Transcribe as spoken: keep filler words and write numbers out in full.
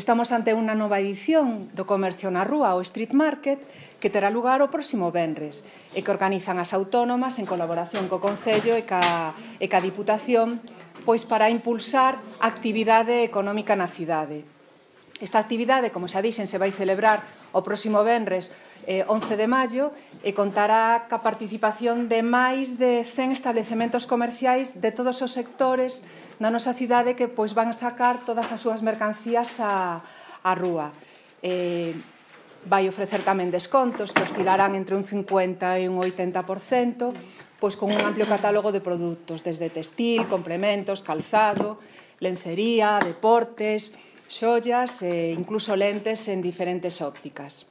Estamos ante unha nova edición do Comercio na Rúa, o Street Market, que terá lugar o próximo venres e que organizan as autónomas en colaboración co Concello e ca, e ca Diputación pois para impulsar a actividade económica na cidade. Esta actividade, como xa dixen, se vai celebrar o próximo venres eh, once de maio e contará ca participación de máis de cen establecementos comerciais de todos os sectores na nosa cidade que pois, van sacar todas as súas mercancías á, á rúa. Eh, vai ofrecer tamén descontos que oscilarán entre un cincuenta e un oitenta por cento, pois con un amplio catálogo de produtos, desde textil, complementos, calzado, lencería, deportes, xollas e incluso lentes en diferentes ópticas.